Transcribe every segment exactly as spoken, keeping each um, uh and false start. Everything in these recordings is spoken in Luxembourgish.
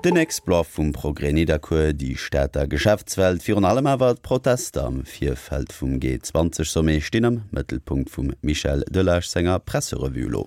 Den Exploit vum Progrès Nidderkuer, déi Stater Geschäftswelt, virun allem awer d'Protester am Virfeld vum G zwanzeg Sommet stinn am Mëttelpunkt vum Michel Delage senger Presserevue elo.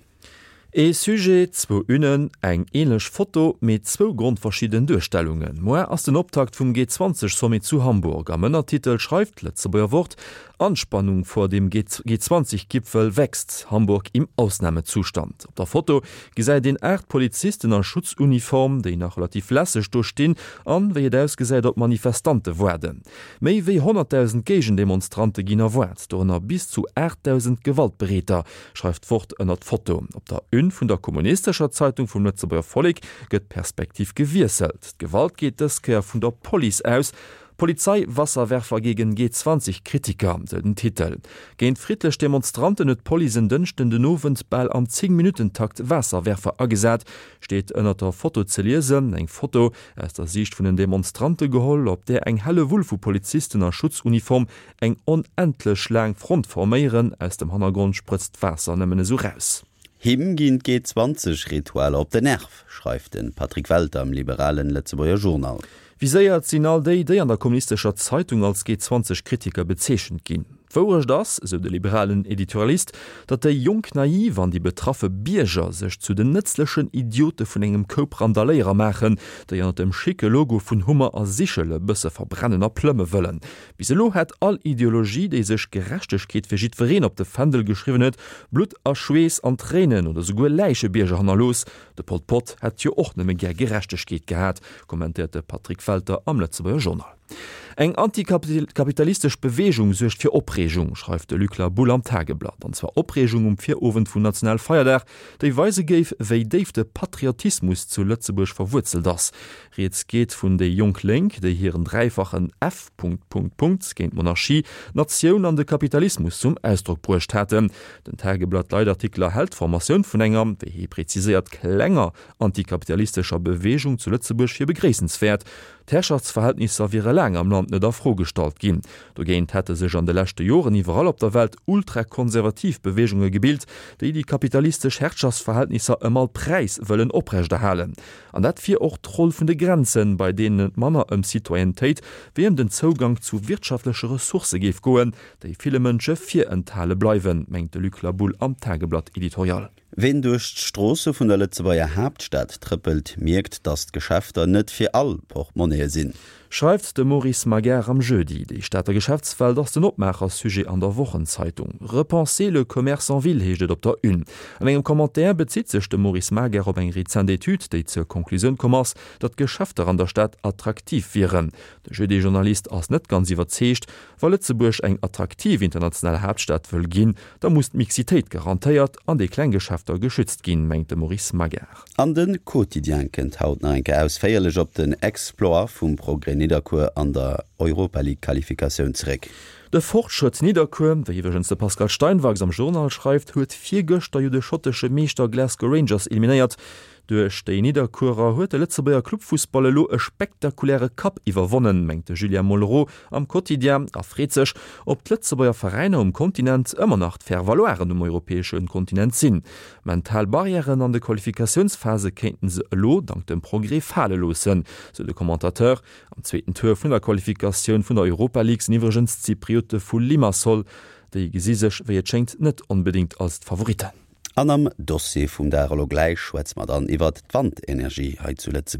Ee Sujet, zwou Unen, eng ähnlech Foto, mee zwou grondverschidden Duerstellungen. Moar ass den Optakt vum G zwanzeg Sommet zu Hamburg. Am Ënnertitel schreift d'Lëtzebuerger Wort, Anspannung vor dem G zwanzig Gipfel wächst, Hamburg im Ausnahmezustand. Op der Foto gesäit een aacht Polizisten a Schutzuniform, déi nach relativ lässeg do stinn an, wéi et ausgesäit, op Manifestante waarden. Méi wéi honnertdausend Géigendemonstrante ginn erwaart, dorënner bis zu aachtdausend Gewaltbereeter, schreift d'Wort ënnert d'Foto. Op der Une vun der kommunistescher Zeitung vum Lëtzebuerger Vollek gëtt d'Perspektiv gewiesselt. D'Gewalt geet dës Kéier vun der Police aus. Polizei-Wasserwerfer gegen G zwanzig Kritiker, sou den Titel. Géint friddlech Demonstranten huet d'Police en Dënschden den Owend bal am Zéng-Minutten-Takt Waasserwerfer agesat, steet ënnert der Foto ze liesen. Eng Foto, aus der Siicht vun den Demonstrante geholl, op där eng Hellewull vu Polizisten a Schutzuniform eng onendlech laang Front forméieren. Aus dem Hannergrond sprëtzt d'Waasser nëmmen esou raus. Him ginn d'G zwanzeg Ritualer op den Nerv, schreift de Patrick Welter am liberalen Lëtzebuerger Journal. Viséiert sinn all déi, déi an der kommunistescher Zeitung als G zwanzeg Kritiker bezeechent ginn. D'Wourecht ass, esou de liberalen Editorialist, datt déi jonk Naiv an déi betraffe Bierger sech zu den nëtzlechen Idiote vun engem Koup Randaléierer maachen, déi ënnert dem schicke Logo vun Hummer a Sichel e bësse verbrennen a plëmme wëllen. Bis elo hätt all Ideologie, déi sech Gerechtegkeet fir jiddwereen op de Fändel geschriwwen huet, Blutt a Schweess an Tréinen oder souguer Läichebierger hannerlooss. De Pol Pot hätt jo och nëmme gär Gerechtegkeet gehat, kommentéiert de Patrick Welter am Lëtzebuerger Journal. Eng antikapitalistesch Beweegung suergt fir Opreegung, schreift de Luc Laboulle am Tageblatt. An zwar Opreegung um Virowend vum Nationalfeierdag, déi weise géif, wéi déif de Patriotismus zu Lëtzebuerg verwuerzelt ass. Rieds geet vun déi Jonk Lénk, déi hiren dräifachen F Punkt Punkt Punkt géint d'Monarchie, d'Natioun an de Kapitalismus zum Ausdrock bruecht haten. Den Tageblatt-Leitartikler hält d'Formatioun vun enger, wéi hie preziséiert, klenger antikapitalistescher Beweegung zu Lëtzebuerg fir begréissenswäert. D'Herrschaftsverhältnisser wiere laang am Land net a Fro gestallt ginn. Dogéint hätte sech an de leschte Joren iwwerall op der Welt ultrakonservativ Beweegunge gebilt, déi déi kapitalistesch Herrschaftsverhältnisser ëm all Präis wëllen oprechterhalen. An dat wier och d'Roll vun de Grenzen, bei deenen et manner ëm Citoyennetéit wéi ëm den Zougank zu wirtschaftleche Ressourcë géif goen, déi ville Mënsche virenthale bleiwen, mengt de Luc Laboulle am Tageblatt-Editorial. Ween duerch d'Stroosse vun der Lëtzebuerger Haaptstad trëppelt, mierkt, datt d'Geschäfter net fir all Portmonnaie sinn. Schreift de Maurice Magar am Jeudi. Déi Stater Geschäftswelt ass den Opmaacher-Sujet an der Wochenzeitung. Repenser le commerce en ville heescht et op der Une. An engem Commentaire bezitt sech de Maurice Magar op eng rezent Etüd, déi zur Konklusioun komm ass, datt d'Geschäfter an der Stad attraktiv wieren. De Jeudi-Journalist ass net ganz iwwerzeegt, Wa Lëtzebuerg eng attraktiv international Haaptstad wëll ginn, da muss d'Mixitéit garantéiert an déi kleng Geschäfter geschützt ginn, mengt de Maurice Magar. An de Quotidien kënnt haut nach eng Kéier ausféierlech op den Exploit vum Progrès Nidderkuer an der Europa League Qualifikatioun zeréck. De Fortschrëtt Nidderkuer, wéi iwwregens de Pascal Steinwachs am Journal schreift, huet virgëschter jo de schottesche Meeschter Glasgow Rangers eliminéiert. Duerch déi Nidderkuerer huet de Lëtzebuerger Clubfussball elo e spektakuläre Kapp iwwerwonnen, mengt de Julien Mollereau am Quotidien a freet sech, ob d'Lëtzebuerger Veräiner um Kontinent ëmmer nach d'Faire-valoiren um europäesche Kontinent sinn. Mental Barrièren an de Qualifikatiounsphase kéinten se elo dank dem Progrès fale loossen, sou de Commentateur. Am zweeten Tour vun der Qualifikatioun vun der Europa League sinn iwwregens d'Zypriote vu Limassol. Déi gesi sech, wéi et schéngt, net onbedéngt als d'Favoritten. An am Dossier vum Dag elo gläich schwätze mer dann iwwert d'Wandenergie hei zu Lëtzebuerg.